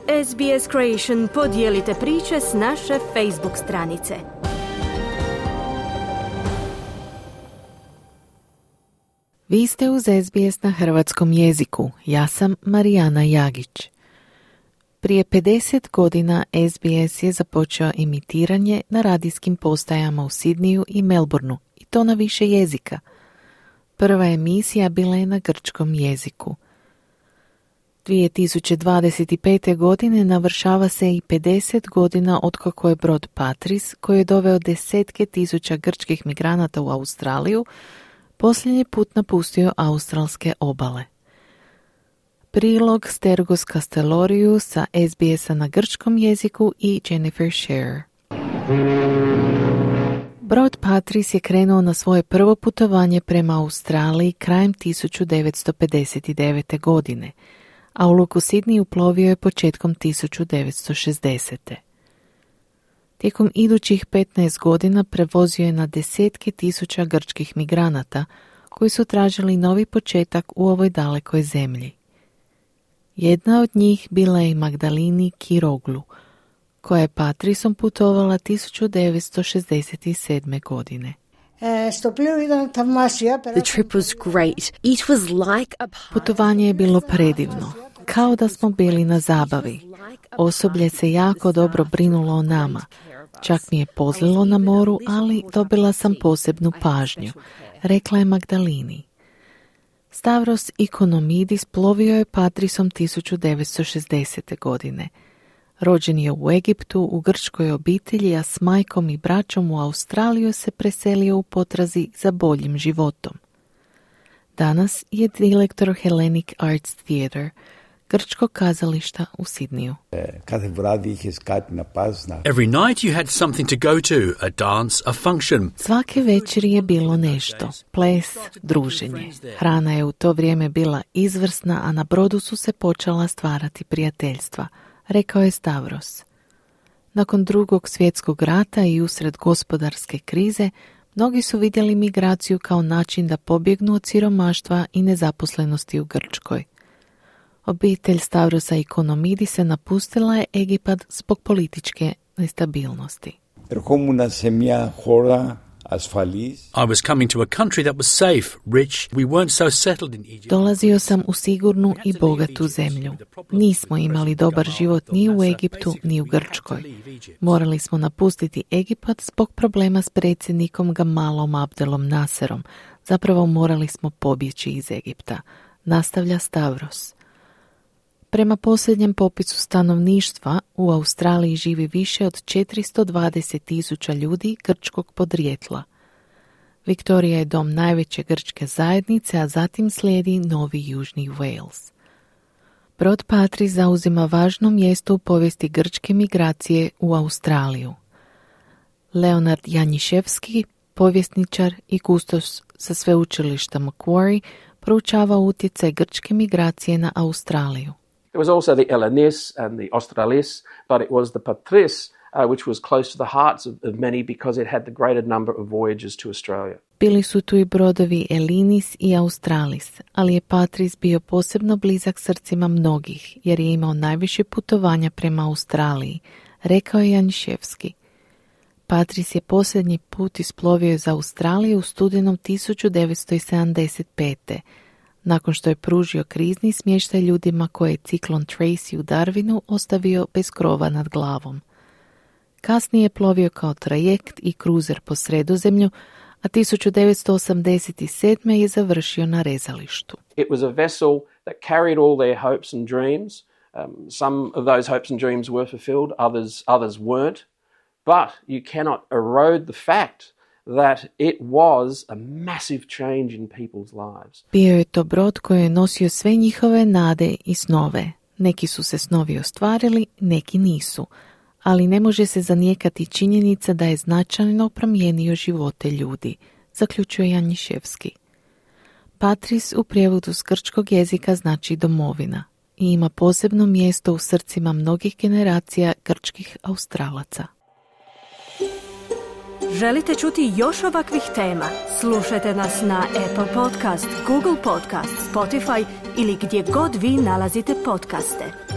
SBS Creation podijelite priče s naše Facebook stranice. Vi ste uz SBS na hrvatskom jeziku. Ja sam Marijana Jagić. Prije 50 godina SBS je započeo emitiranje na radijskim postajama u Sidniju i Melbourneu, i to na više jezika. Prva emisija bila je na grčkom jeziku. 2025. godine navršava se i 50 godina otkako je brod Patris, koji je doveo desetke tisuća grčkih migranata u Australiju, posljednji put napustio australske obale. Prilog Stergos Kasteloriju sa SBS-a na grčkom jeziku i Jennifer Scherer. Brod Patris je krenuo na svoje prvo putovanje prema Australiji krajem 1959. godine, a u luku Sidney uplovio je početkom 1960. Tijekom idućih 15 godina prevozio je na desetke tisuća grčkih migranata koji su tražili novi početak u ovoj dalekoj zemlji. Jedna od njih bila je i Magdalini Kiroglu, koja je Patrisom putovala 1967. godine. The trip was great. It was like a Putovanje je bilo predivno, kao da smo bili na zabavi. Osoblje se jako dobro brinulo o nama. Čak mi je pozlilo na moru, ali dobila sam posebnu pažnju, rekla je Magdalini. Stavros Ikonomidis plovio je Patrisom 1960. godine. Rođen je u Egiptu, u grčkoj obitelji, a s majkom i braćom u Australiju se preselio u potrazi za boljim životom. Danas je direktor Hellenic Arts Theatre, grčkog kazališta u Sidniju. Every night you had something to go to, a dance, a function. Svake večeri je bilo nešto, ples, druženje. Hrana je u to vrijeme bila izvrsna, a na brodu su se počela stvarati prijateljstva, rekao je Stavros. Nakon Drugog svjetskog rata i usred gospodarske krize, mnogi su vidjeli migraciju kao način da pobjegnu od siromaštva i nezaposlenosti u Grčkoj. Obitelj Stavrosa Ikonomidisa napustila je Egipat zbog političke nestabilnosti. I was coming to a country that was safe, rich. We weren't so settled in Egypt. Dolazio sam u sigurnu i bogatu zemlju. Nismo imali dobar život ni u Egiptu, ni u Grčkoj. Morali smo napustiti Egipat zbog problema s predsjednikom Gamalom Abdelom Nasserom. Zapravo morali smo pobjeći iz Egipta, nastavlja Stavros. Prema posljednjem popisu stanovništva, u Australiji živi više od 420.000 ljudi grčkog podrijetla. Viktorija je dom najveće grčke zajednice, a zatim slijedi Novi Južni Wales. Brod Patris zauzima važno mjesto u povijesti grčke migracije u Australiju. Leonard Janiševski, povjesničar i kustos sa sveučilišta Macquarie, proučava utjecaj grčke migracije na Australiju. There was also the Elenis and the Australis, but it was the Patris, which was close to the hearts of many because it had the greater number of voyages to Australia. Bili su tu i brodovi Elinis i Australis, ali je Patris bio posebno blizak srcima mnogih, jer je imao najviše putovanja prema Australiji, rekao je Janiševski. Patris je posljednji put isplovio za Australiju u studenom 1975. nakon što je pružio krizni smještaj ljudima koje je ciklon Tracy u Darwinu ostavio bez krova nad glavom. Kasnije je plovio kao trajekt i kruzer po Sredozemlju, a 1987. je završio na rezalištu. It was a vessel that carried all their hopes and dreams. Some of those hopes and dreams were fulfilled, others weren't. But you cannot erode the fact that it was a massive change in people's lives. Bio je to brod koji je nosio sve njihove nade i snove. Neki su se snovi ostvarili, neki nisu. Ali ne može se zanijekati činjenica da je značajno promijenio živote ljudi, zaključuje Janiševski. Patris u prijevodu s grčkog jezika znači domovina i ima posebno mjesto u srcima mnogih generacija grčkih Australaca. Želite čuti još ovakvih tema? Slušajte nas na Apple Podcast, Google Podcast, Spotify ili gdje god vi nalazite podcaste.